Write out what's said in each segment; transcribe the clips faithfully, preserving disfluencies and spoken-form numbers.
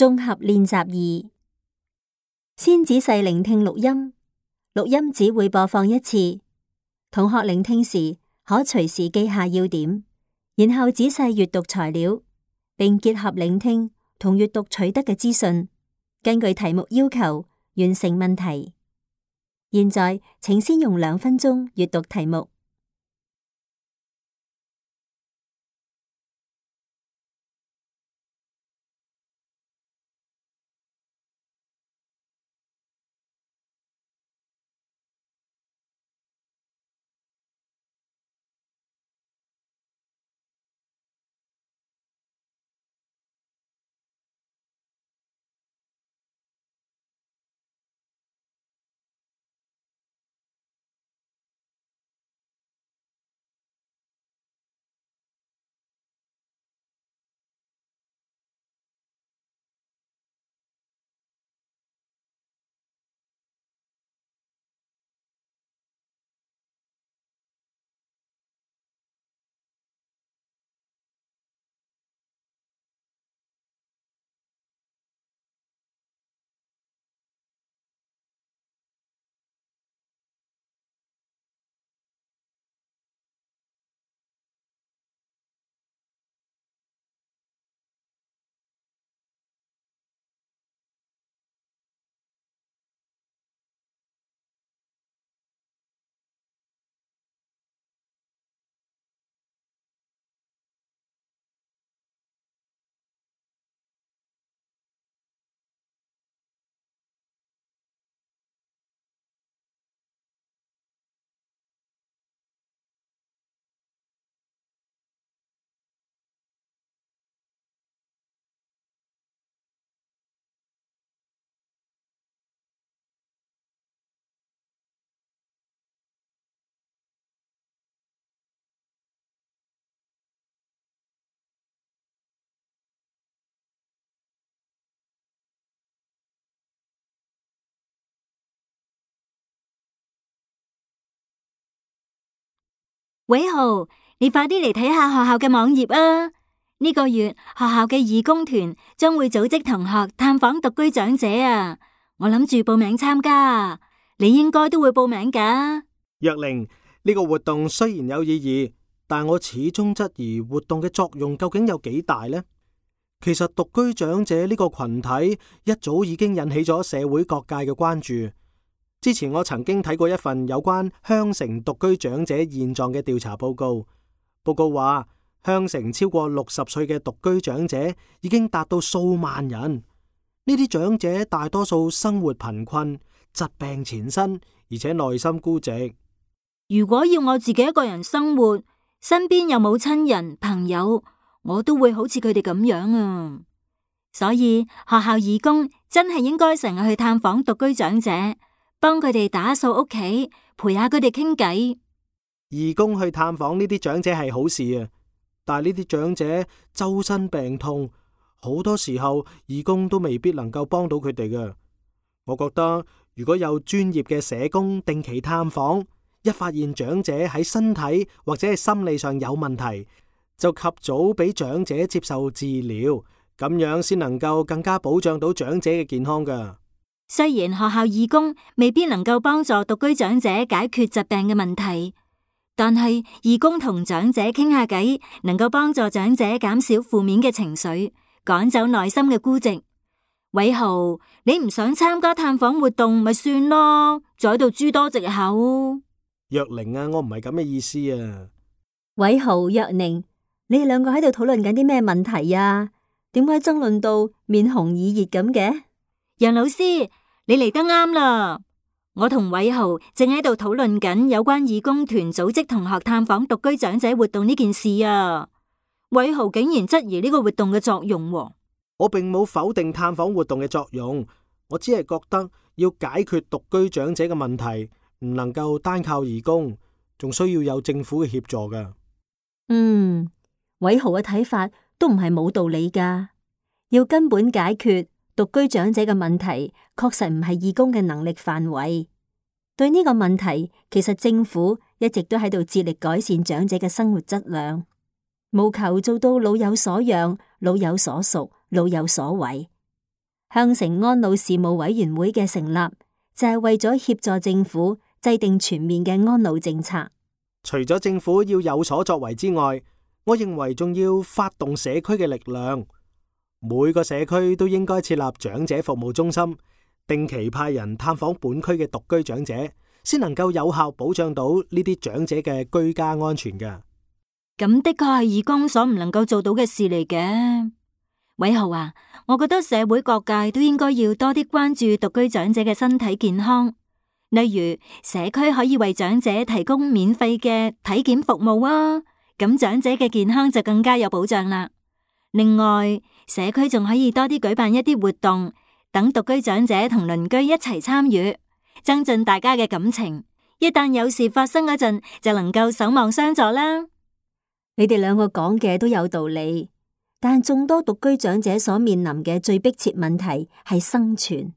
綜合練習二，先仔細聆聽錄音，錄音只會播放一次。同學聆聽時可隨時記下要點，然後仔細閱讀材料，並結合聆聽同閱讀取得嘅資訊，根據題目要求完成問題。現在請先用兩分鐘閱讀題目。偉豪，你快啲嚟睇下學校嘅網頁啊！呢個月學校嘅義工團將會組織同學探訪獨居長者啊！我諗住報名參加啊，你應該都會報名㗎。若玲，呢個活動雖然有意義，但我始終質疑活動嘅作用究竟有幾大呢？其實獨居長者呢個群體一早已經引起咗社會各界嘅關注。之前我曾經睇過一份有關香城獨居長者現狀嘅調查報告，報告話香城超過六十歲嘅獨居長者已經達到數萬人。呢啲長者大多數生活貧困、疾病纏身，而且內心孤寂。如果要我自己一個人生活，身邊又冇親人朋友，我都會好似佢哋咁樣啊。所以學校義工真係應該成日去探訪獨居長者，幫佢哋打掃屋企，陪下佢哋傾偈。義工去探訪呢啲長者係好事啊，但係呢啲長者周身病痛，好多時候義工都未必能夠幫到佢哋嘅。我覺得如果有專業嘅社工定期探訪，一發現長者喺身體或者係心理上有問題，就及早俾長者接受治療，咁樣先能夠更加保障到長者嘅健康㗎。雖然學校義工未必能夠幫助獨居長者解決疾病嘅問題，但係義工同長者傾下偈，能夠幫助長者減少負面嘅情緒，趕走內心嘅孤寂。偉豪，你唔想參加探訪活動咪算咯，就喺度諸多藉口。若玲啊，我唔係咁嘅意思啊。偉豪、若寧，你哋兩個喺度討論緊啲咩問題啊？點解爭論到面紅耳熱咁嘅？楊老師，你嚟得啱啦！我同偉豪正喺度討論緊有關義工團組織同學探訪獨居長者活動呢件事啊。偉豪竟然質疑呢個活動嘅作用喎。我並冇否定探訪活動嘅作用，我只係覺得要解決獨居長者嘅問題，唔能夠單靠義工，仲需要有政府嘅協助㗎。嗯，偉豪嘅睇法都唔係冇道理㗎。要根本解決獨居長者嘅問題，確實唔係義工嘅能力範圍。對呢個問題，其實政府一直都喺度致力改善長者嘅生活質量，務求做到老有所養、老有所屬、老有所為。香城安老事務委員會嘅成立，就係為咗協助政府制定全面嘅安老政策。除咗政府要有所作為之外，我認為仲要發動社區嘅力量。每個社區都應該設立長者服務中心，定期派人探訪本區嘅獨居長者，先能夠有效保障到呢啲長者嘅居家安全㗎。咁的確係義工所唔能夠做到嘅事嚟嘅。偉豪啊，我覺得社會各界都應該要多啲關注獨居長者嘅身體健康，例如社區可以為長者提供免費嘅體檢服務啊，咁長者嘅健康就更加有保障啦。另外，社區仲可以多啲舉辦一啲活動，等獨居長者同鄰居一齊參與，增進大家嘅感情。一旦有事發生嗰陣，就能夠守望相助啦。你哋兩個講嘅都有道理，但眾多獨居長者所面臨嘅最迫切問題係生存。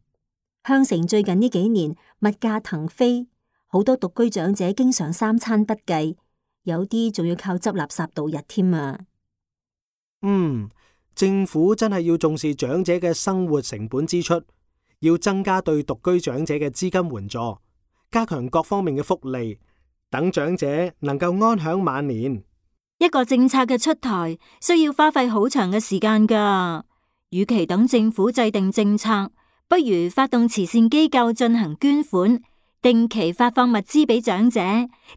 香城最近呢幾年物價騰飛，好多獨居長者經常三餐不繼，有啲仲要靠執垃圾度日添啊！嗯，政府真係要重視長者嘅生活成本支出，要增加對獨居長者嘅資金援助，加強各方面嘅福利，等長者能夠安享晚年。一個政策嘅出台需要花費好長嘅時間㗎，與其等政府制定政策，不如發動慈善機構進行捐款，定期發放物資俾長者，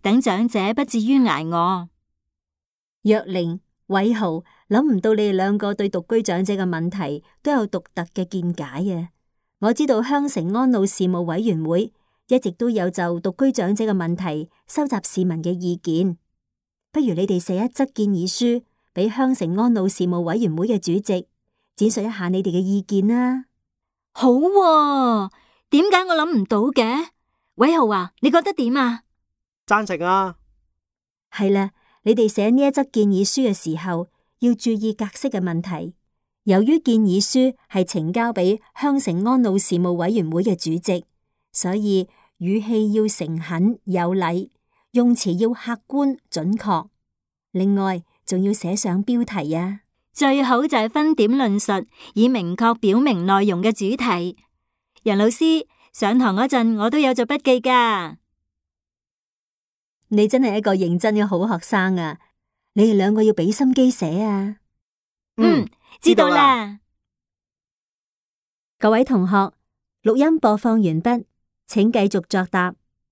等長者不至於挨餓。若玲、偉豪，諗唔到你哋兩個對獨居長者嘅問題都有獨特嘅見解啊！我知道香城安老事務委員會一直都有就獨居長者嘅問題收集市民嘅意見。不如你哋寫一則建議書俾香城安老事務委員會嘅主席，展述一下你哋嘅意見啦。好喎，點解我諗唔到嘅？偉豪啊，你覺得點啊？贊成啊！係啦，你哋寫呢一則建議書嘅時候，要注意格式嘅問題。由於建議書係呈交俾香城安老事務委員會嘅主席，所以語氣要誠懇有禮，用詞要客觀準確。另外，仲要寫上標題啊！最好就係分點論述，以明確表明內容嘅主題。楊老師，上堂嗰陣我都有做筆記㗎。你真係一個認真嘅好學生啊！你哋兩個要俾心機寫啊！嗯，知道啦。各位同學，錄音播放完畢，請繼續作答。